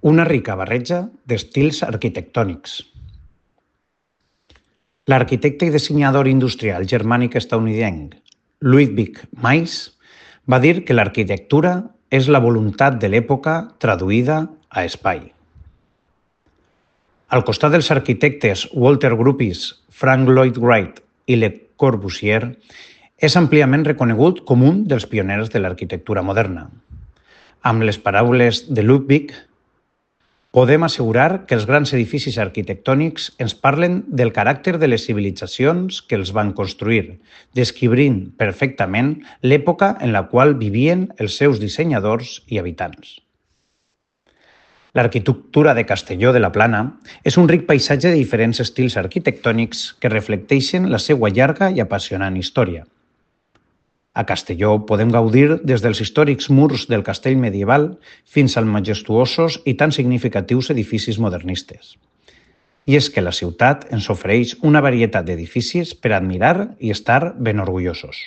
Una rica barreja d'estils arquitectònics. L'arquitecte i dissenyador industrial germànic-estatunidenc Ludwig Mies va dir que l'arquitectura és la voluntat de l'època traduïda a espai. Al costat dels arquitectes Walter Gropius, Frank Lloyd Wright i Le Corbusier, és àmpliament reconegut com un dels pioners de l'arquitectura moderna. Amb les paraules de Ludwig, podem assegurar que els grans edificis arquitectònics ens parlen del caràcter de les civilitzacions que els van construir, descrivint perfectament l'època en la qual vivien els seus dissenyadors i habitants. L'arquitectura de Castelló de la Plana és un ric paisatge de diferents estils arquitectònics que reflecteixen la seva llarga i apassionant història. A Castelló podem gaudir des dels històrics murs del castell medieval fins als majestuosos i tan significatius edificis modernistes. I és que la ciutat ens ofereix una varietat d'edificis per admirar i estar ben orgullosos.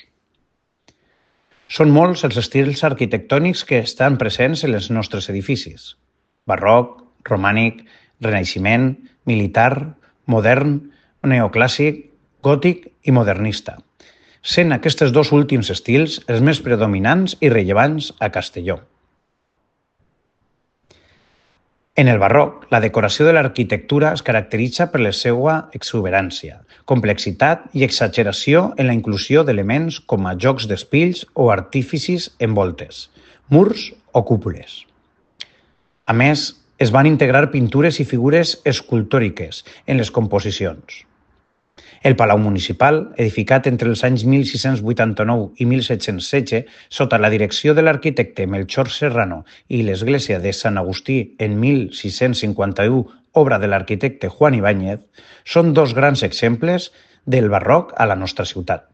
Són molts els estils arquitectònics que estan presents en els nostres edificis: barroc, romànic, renaixement, militar, modern, neoclàssic, gòtic i modernista, sent aquests dos últims estils els més predominants i rellevants a Castelló. En el barroc, la decoració de l'arquitectura es caracteritza per la seva exuberància, complexitat i exageració en la inclusió d'elements com a jocs d'espills o artificis en voltes, murs o cúpules. A més, es van integrar pintures i figures escultòriques en les composicions. El Palau Municipal, edificat entre els anys 1689 i 1716 sota la direcció de l'arquitecte Melchor Serrano i l'església de Sant Agustí en 1651, obra de l'arquitecte Juan Ibáñez, són dos grans exemples del barroc a la nostra ciutat.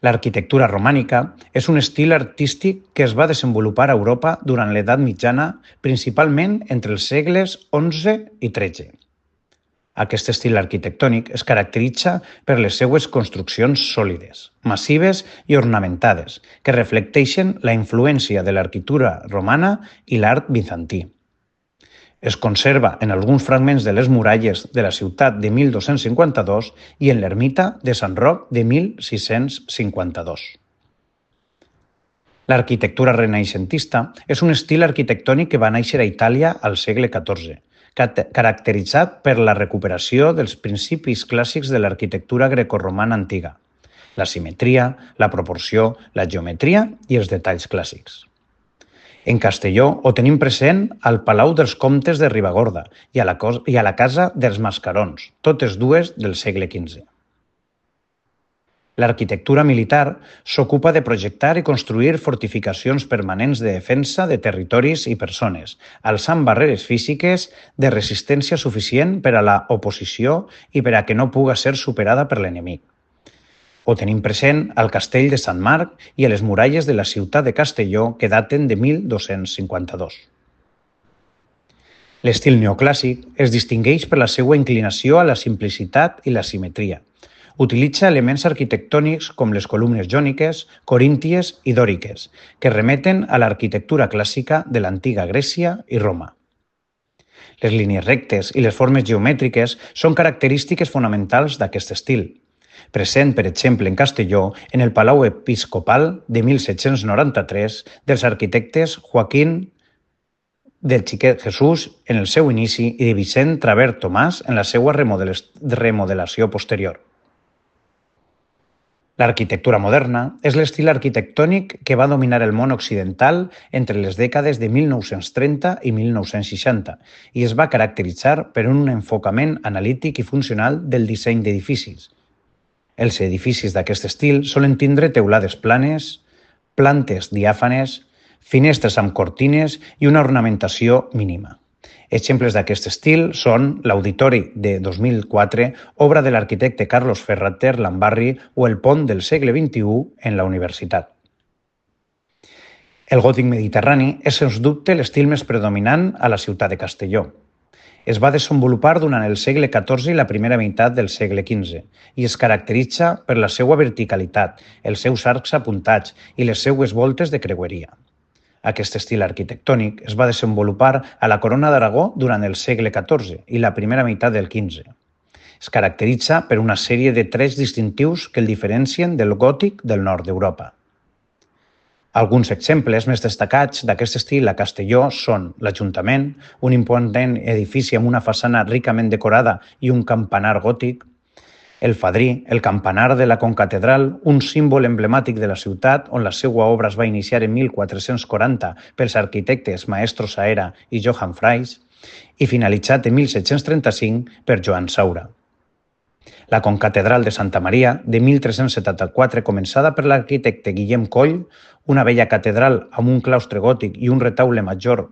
L'arquitectura romànica és un estil artístic que es va desenvolupar a Europa durant l'edat mitjana, principalment entre els segles XI i XIII. Aquest estil arquitectònic es caracteritza per les seues construccions sòlides, massives i ornamentades, que reflecteixen la influència de l'arquitectura romana i l'art bizantí. Es conserva en alguns fragments de les muralles de la ciutat de 1252 i en l'ermita de Sant Roc de 1652. L'arquitectura renaixentista és un estil arquitectònic que va néixer a Itàlia al segle XIV, caracteritzat per la recuperació dels principis clàssics de l'arquitectura grecorromana antiga: la simetria, la proporció, la geometria i els detalls clàssics. En Castelló ho tenim present al Palau dels Comtes de Ribagorda i a la Casa dels Mascarons, totes dues del segle XV. L'arquitectura militar s'ocupa de projectar i construir fortificacions permanents de defensa de territoris i persones, alçant barreres físiques de resistència suficient per a la oposició i per a que no puga ser superada per l'enemic. Ho tenim present al Castell de Sant Marc i a les muralles de la ciutat de Castelló que daten de 1252. L'estil neoclàssic es distingeix per la seva inclinació a la simplicitat i la simetria. Utilitza elements arquitectònics com les columnes jòniques, corínties i dòriques, que remeten a l'arquitectura clàssica de l'antiga Grècia i Roma. Les línies rectes i les formes geomètriques són característiques fonamentals d'aquest estil, present, per exemple, en Castelló, en el Palau Episcopal de 1793 dels arquitectes Joaquín del Xiquet Jesús en el seu inici i de Vicent Travert Tomàs en la seva remodelació posterior. L'arquitectura moderna és l'estil arquitectònic que va dominar el món occidental entre les dècades de 1930 i 1960 i es va caracteritzar per un enfocament analític i funcional del disseny d'edificis. Els edificis d'aquest estil solen tindre teulades planes, plantes diàfanes, finestres amb cortines i una ornamentació mínima. Exemples d'aquest estil són l'Auditori de 2004, obra de l'arquitecte Carlos Ferrater Lambarri, o el pont del segle XXI en la universitat. El gòtic mediterrani és, sens dubte, l'estil més predominant a la ciutat de Castelló. Es va desenvolupar durant el segle XIV i la primera meitat del segle XV i es caracteritza per la seva verticalitat, els seus arcs apuntats i les seues voltes de creueria. Aquest estil arquitectònic es va desenvolupar a la Corona d'Aragó durant el segle XIV i la primera meitat del XV. Es caracteritza per una sèrie de trets distintius que el diferencien del gòtic del nord d'Europa. Alguns exemples més destacats d'aquest estil a Castelló són l'Ajuntament, un imponent edifici amb una façana ricament decorada i un campanar gòtic, el Fadrí, el campanar de la concatedral, un símbol emblemàtic de la ciutat on la seva obra es va iniciar en 1440 pels arquitectes Maestro Saera i Johann Freis i finalitzat en 1735 per Joan Saura. La concatedral de Santa Maria, de 1374, començada per l'arquitecte Guillem Coll, una bella catedral amb un claustre gòtic i un retaule major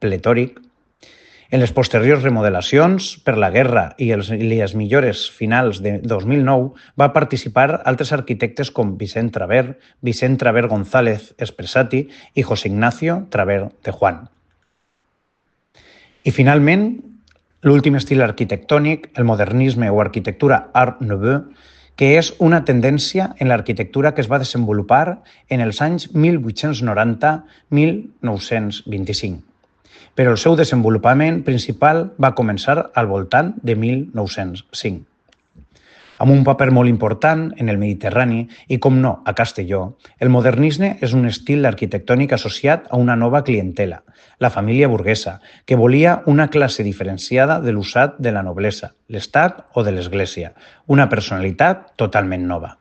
pletòric. En les posteriors remodelacions, per la guerra i les millores finals de 2009, va participar altres arquitectes com Vicent Traver González Espresati i José Ignacio Traver de Juan. I finalment, l'últim estil arquitectònic, el modernisme o arquitectura Art Nouveau, que és una tendència en l'arquitectura que es va desenvolupar en els anys 1890-1925. Però el seu desenvolupament principal va començar al voltant de 1905. Amb un paper molt important en el Mediterrani i, com no, a Castelló, el modernisme és un estil arquitectònic associat a una nova clientela, la família burguesa, que volia una classe diferenciada de l'usat de la noblesa, l'Estat o de l'Església, una personalitat totalment nova.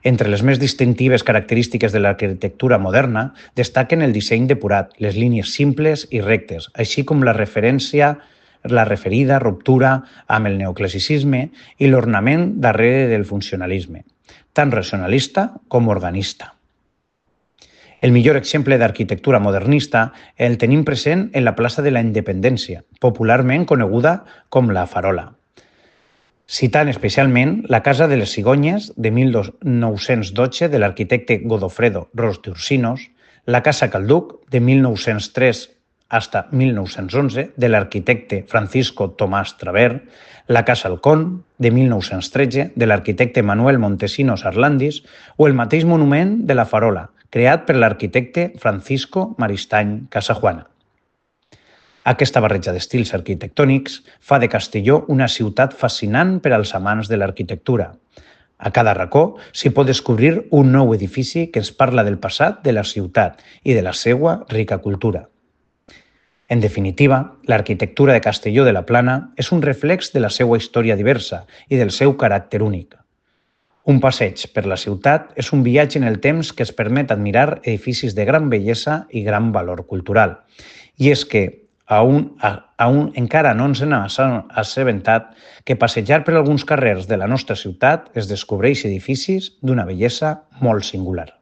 Entre les més distintives característiques de l'arquitectura moderna destaquen el disseny depurat, les línies simples i rectes, així com la referida ruptura amb el neoclassicisme i l'ornament darrere del funcionalisme, tant racionalista com organista. El millor exemple d'arquitectura modernista el tenim present en la plaça de la Independència, popularment coneguda com la Farola, citant especialment la Casa de les Cigonyes de 1912 de l'arquitecte Godofredo Ros d'Ursinos, la Casa Calduc de 1903 hasta 1911 de l'arquitecte Francisco Tomàs Traver, la Casa Alcón de 1913 de l'arquitecte Manuel Montesinos Arlandis o el mateix monument de la Farola, creat per l'arquitecte Francisco Maristany Casajuana. Aquesta barreja d'estils arquitectònics fa de Castelló una ciutat fascinant per als amants de l'arquitectura. A cada racó s'hi pot descobrir un nou edifici que ens parla del passat de la ciutat i de la seva rica cultura. En definitiva, l'arquitectura de Castelló de la Plana és un reflex de la seva història diversa i del seu caràcter únic. Un passeig per la ciutat és un viatge en el temps que es permet admirar edificis de gran bellesa i gran valor cultural. I és que encara no ens n'hem assabentat que passejar per alguns carrers de la nostra ciutat es descobreix edificis d'una bellesa molt singular.